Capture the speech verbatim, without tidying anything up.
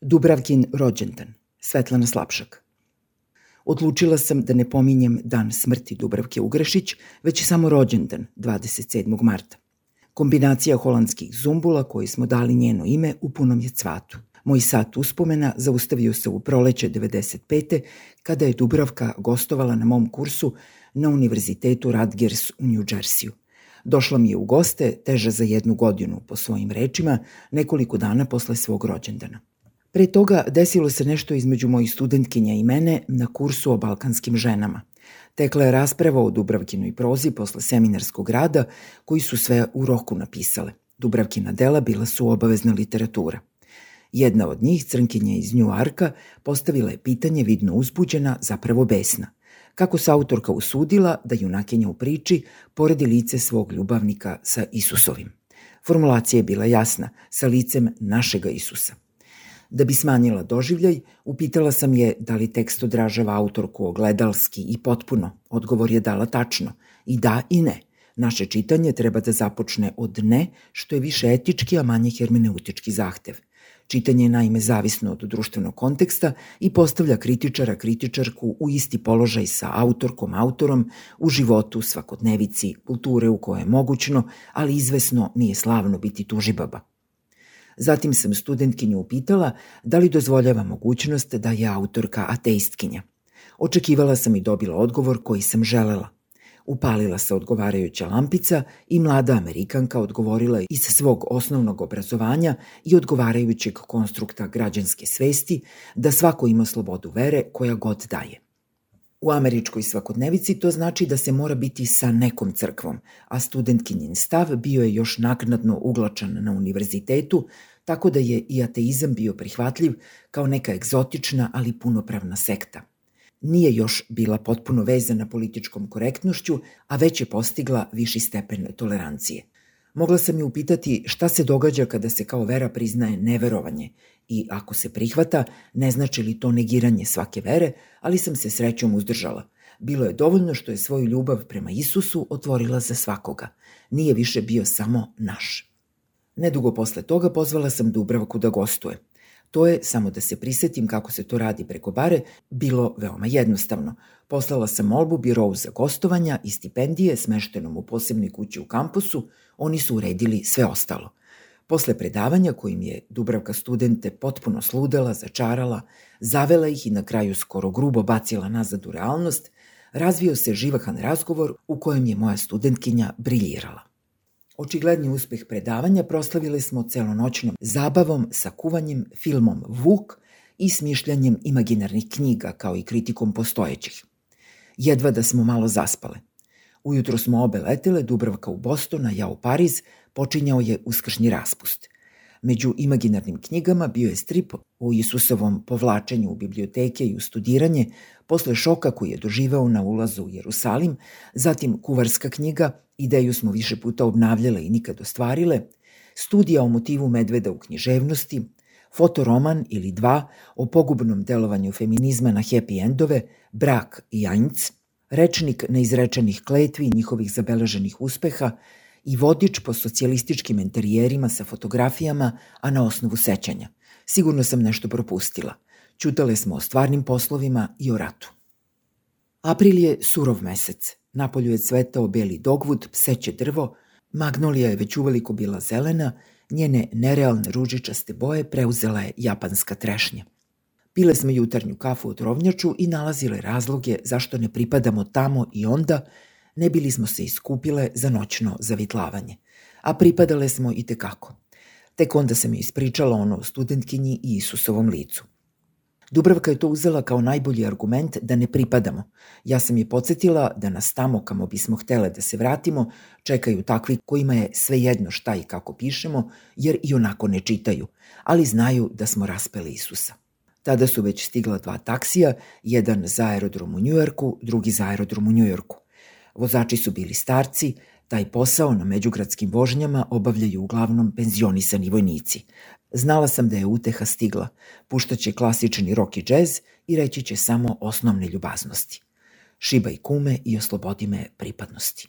Dubravkin rođendan, Svetlana Slapšak. Odlučila sam da ne pominjem dan smrti Dubravke Ugrešić, već samo rođendan, dvadeset sedmog marta. Kombinacija holandskih zumbula koji smo dali njeno ime u punom je cvatu. Moj sat uspomena zaustavio se u proleće devedeset pete kada je Dubravka gostovala na mom kursu na Univerzitetu Rutgers u New Jersey-u. Došla mi je u goste, teža za jednu godinu, po svojim rečima, nekoliko dana posle svog rođendana. Pre toga desilo se nešto između mojih studentkinja i mene na kursu o balkanskim ženama. Tekla je rasprava o Dubravkinoj prozi posle seminarskog rada koji su sve u roku napisale. Dubravkina dela bila su obavezna literatura. Jedna od njih, crnkinja iz Njuarka, postavila je pitanje vidno uzbuđena, zapravo besna. Kako se autorka usudila da junakinja u priči poredi lice svog ljubavnika sa Isusovim. Formulacija je bila jasna, sa licem našega Isusa. Da bi smanjila doživljaj, upitala sam je da li tekst odražava autorku ogledalski i potpuno. Odgovor je dala tačno. I da i ne. Naše čitanje treba da započne od ne, što je više etički, a manje hermeneutički zahtev. Čitanje je naime zavisno od društvenog konteksta i postavlja kritičara, kritičarku u isti položaj sa autorkom, autorom u životu, svakodnevici, kulture u kojoj je mogućno, ali izvesno nije slavno biti tužibaba. Zatim sam studentkinju upitala da li dozvoljava mogućnost da je autorka ateistkinja. Očekivala sam i dobila odgovor koji sam želela. Upalila se odgovarajuća lampica i mlada Amerikanka odgovorila iz svog osnovnog obrazovanja i odgovarajućeg konstrukta građanske svesti da svako ima slobodu vere koja god daje. U američkoj svakodnevici to znači da se mora biti sa nekom crkvom, a studentkinjin stav bio je još naknadno uglačan na univerzitetu, tako da je i ateizam bio prihvatljiv kao neka egzotična, ali punopravna sekta. Nije još bila potpuno vezana političkom korektnošću, a već je postigla viši stepen tolerancije. Mogla sam je upitati šta se događa kada se kao vera priznaje neverovanje i ako se prihvata, ne znači li to negiranje svake vere, ali sam se srećom uzdržala. Bilo je dovoljno što je svoju ljubav prema Isusu otvorila za svakoga. Nije više bio samo naš. Nedugo posle toga pozvala sam Dubravku da gostuje. To je, samo da se prisetim kako se to radi preko bare, bilo veoma jednostavno. Poslala sam molbu birovu za gostovanja i stipendije smeštenom u posebnoj kući u kampusu, oni su uredili sve ostalo. Posle predavanja kojim je Dubravka studente potpuno sludela, začarala, zavela ih i na kraju skoro grubo bacila nazad u realnost, razvio se živahan razgovor u kojem je moja studentkinja briljirala. Očigledni uspeh predavanja proslavili smo celonoćnom zabavom sa kuvanjem, filmom Vuk i smišljanjem imaginarnih knjiga kao i kritikom postojećih. Jedva da smo malo zaspale. Ujutro smo obe letele, Dubravka u Boston, a ja u Pariz, počinjao je uskršnji raspust. Među imaginarnim knjigama bio je strip o Isusovom povlačenju u biblioteke i u studiranje, posle šoka koji je doživeo na ulazu u Jerusalim, zatim kuvarska knjiga, ideju smo više puta obnavljale i nikad ostvarile, studija o motivu medveda u književnosti, fotoroman ili dva o pogubnom delovanju feminizma na happy endove, Brak i Ainc, rečnik neizrečenih kletvi i njihovih zabeleženih uspeha i vodič po socijalističkim enterijerima sa fotografijama, a na osnovu sećanja. Sigurno sam nešto propustila. Ćutale smo o stvarnim poslovima i o ratu. April je surov mesec. Napolju je cvetao beli dogvud, pseće drvo, magnolija je već uveliko bila zelena, njene nerealne ružičaste boje preuzela je japanska trešnja. Pile smo jutarnju kafu u trovnjaču i nalazile razloge zašto ne pripadamo tamo i onda, ne bili smo se iskupile za noćno zavitlavanje. A pripadale smo i tekako. Tek onda sam je ispričala ono o studentkinji i Isusovom licu. Dubravka je to uzela kao najbolji argument da ne pripadamo. Ja sam je podsjetila da nas tamo kamo bismo htele da se vratimo čekaju takvi kojima je svejedno šta i kako pišemo, jer i onako ne čitaju, ali znaju da smo raspeli Isusa. Tada su već stigla dva taksija, jedan za aerodrom u Njujorku, drugi za aerodrom u Njujorku. Vozači su bili starci, taj posao na međugradskim vožnjama obavljaju uglavnom penzionisani vojnici. Znala sam da je uteha stigla, puštaće klasični rock i džez i reći će samo osnovne ljubaznosti. Šibaj kume i oslobodi me pripadnosti.